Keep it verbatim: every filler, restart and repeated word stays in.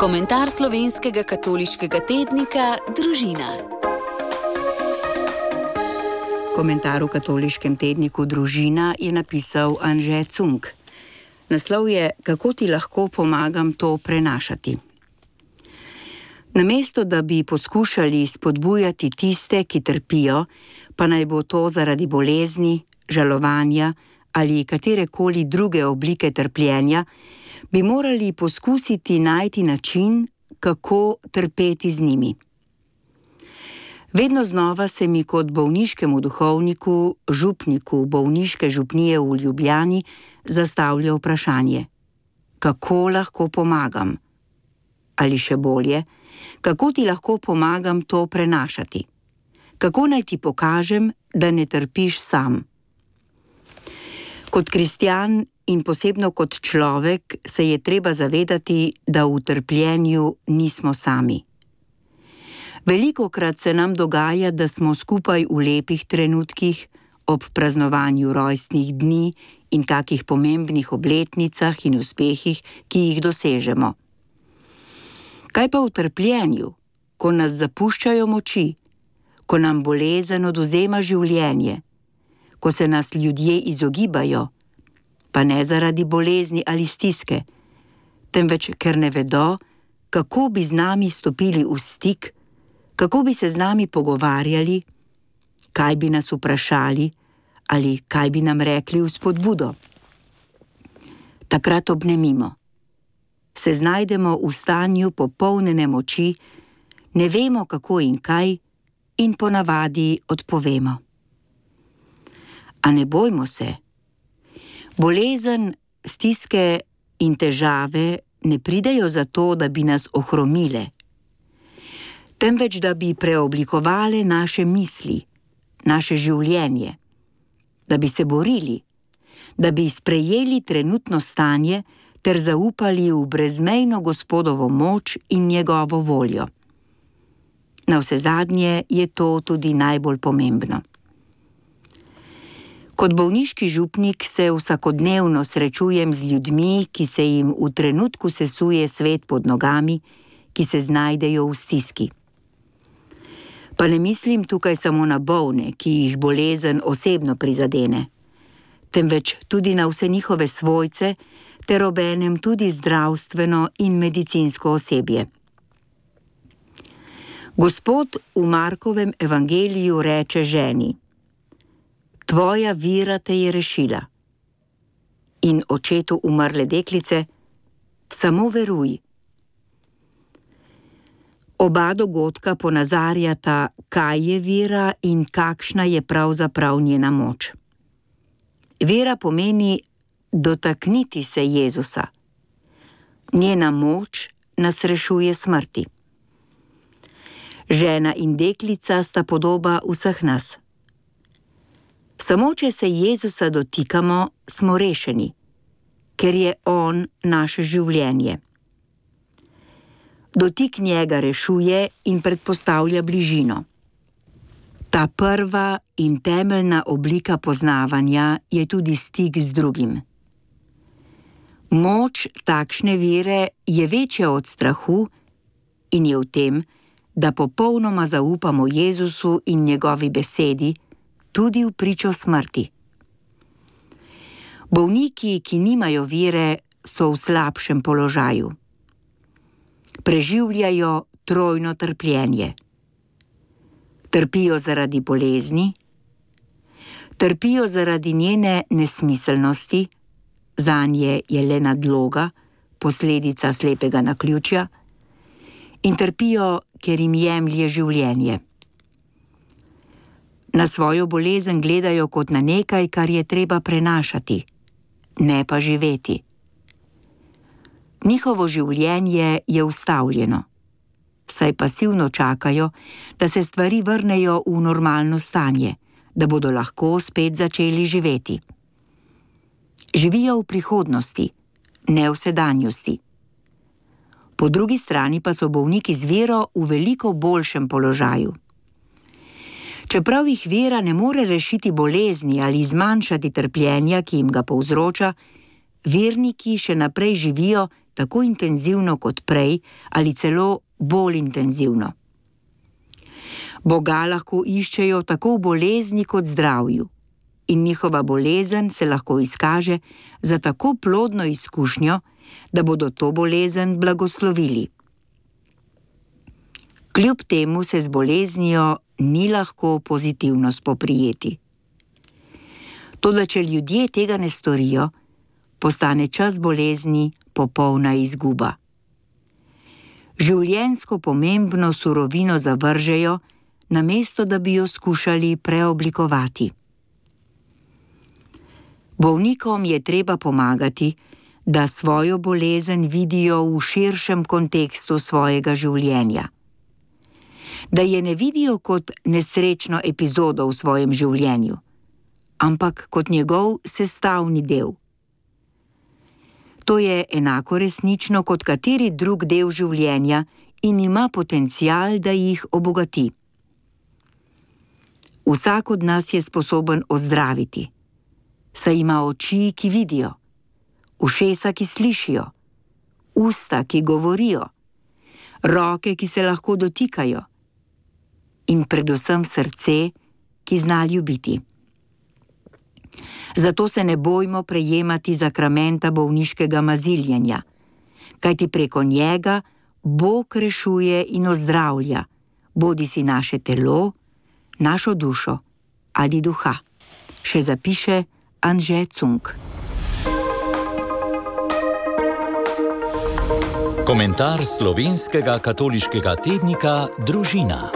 Komentar slovenskega katoliškega tednika Družina. Komentar v katoliškem tedniku Družina je napisal Anže Cunk. Naslov je: Kako ti lahko pomagam to prenašati? Namesto da bi poskušali spodbujati tiste, ki trpijo, pa naj bo to zaradi bolezni, žalovanja ali katerekoli druge oblike trpljenja, bi morali poskusiti najti način, kako trpeti z njimi. Vedno znova se mi kot bolniškemu duhovniku, župniku bolniške župnije v Ljubljani, zastavlja vprašanje: kako lahko pomagam? Ali še bolje, kako ti lahko pomagam to prenašati? Kako naj ti pokažem, da ne trpiš sam? Kot kristjan in posebno kot človek se je treba zavedati, da v trpljenju nismo sami. Velikokrat se nam dogaja, da smo skupaj v lepih trenutkih, ob praznovanju rojstnih dni in takih pomembnih obletnicah in uspehih, ki jih dosežemo. Kaj pa v trpljenju, ko nas zapuščajo moči, ko nam bolezen odvzema življenje, ko se nas ljudje izogibajo, pa ne zaradi bolezni ali stiske, temveč ker ne vedo, kako bi z nami stopili v stik, kako bi se z nami pogovarjali, kaj bi nas vprašali ali kaj bi nam rekli v spodbudo. Takrat obnemimo. Se znajdemo v stanju popolnjene moči, ne vemo kako in kaj in ponavadi odpovemo. A ne bojmo se. Bolezen, stiske in težave ne pridejo zato, da bi nas ohromile, temveč da bi preoblikovale naše misli, naše življenje, da bi se borili, da bi sprejeli trenutno stanje ter zaupali v brezmejno Gospodovo moč in njegovo voljo. Navsezadnje je to tudi najbolj pomembno. Kot bolniški župnik se vsakodnevno srečujem z ljudmi, ki se jim v trenutku sesuje svet pod nogami, ki se znajdejo v stiski. Pa ne mislim tukaj samo na bolne, ki jih bolezen osebno prizadene, temveč tudi na vse njihove svojce, ter obenem tudi zdravstveno in medicinsko osebje. Gospod v Markovem evangeliju reče ženi: Tvoja vera te je rešila. In očetu umrle deklice: Samo veruj. Oba dogodka ponazarjata, kaj je vera in kakšna je pravzaprav njena moč. Vera pomeni dotakniti se Jezusa. Njena moč nas rešuje smrti. Žena in deklica sta podoba vseh nas. Samo če se Jezusa dotikamo, smo rešeni, ker je On naše življenje. Dotik njega rešuje in predpostavlja bližino. Ta prva in temeljna oblika poznavanja je tudi stik z drugim. Moč takšne vere je večja od strahu in je v tem, da popolnoma zaupamo Jezusu in njegovi besedi, tudi v pričo smrti. Bolniki, ki nimajo vere, so v slabšem položaju. Preživljajo trojno trpljenje. Trpijo zaradi bolezni, trpijo zaradi njene nesmiselnosti, zanje je le nadloga, posledica slepega naključja, in trpijo, ker jim jemlje življenje. Na svojo bolezen gledajo kot na nekaj, kar je treba prenašati, ne pa živeti. Njihovo življenje je ustavljeno, saj pasivno čakajo, da se stvari vrnejo v normalno stanje, da bodo lahko spet začeli živeti. Živijo v prihodnosti, ne v sedanjosti. Po drugi strani pa so bolniki z vero v veliko boljšem položaju. Čeprav jih vera ne more rešiti bolezni ali zmanjšati trpljenja, ki jim ga povzroča, verniki še naprej živijo, tako intenzivno kot prej ali celo bolj intenzivno. Boga lahko iščejo tako v bolezni kot zdravju in njihova bolezen se lahko izkaže za tako plodno izkušnjo, da bodo to bolezen blagoslovili. Kljub temu se z boleznijo ni lahko pozitivno spoprijeti. Toda če ljudje tega ne storijo, postane čas bolezni popolna izguba. Življenjsko pomembno surovino zavržejo, namesto da bi jo skušali preoblikovati. Bolnikom je treba pomagati, da svojo bolezen vidijo v širšem kontekstu svojega življenja. Da je ne vidijo kot nesrečno epizodo v svojem življenju, ampak kot njegov sestavni del. To je enako resnično kot kateri drug del življenja in ima potencial, da jih obogati. Vsak od nas je sposoben ozdraviti, saj ima oči, ki vidijo, ušesa, ki slišijo, usta, ki govorijo, roke, ki se lahko dotikajo in predvsem srce, ki zna ljubiti. Zato se ne bojmo prejemati zakramenta bolniškega maziljenja, kajti preko njega Bog rešuje in ozdravlja, bodisi naše telo, našo dušo ali duha. Še zapiše Anže Cunk. Komentar slovenskega katoliškega tednika Družina.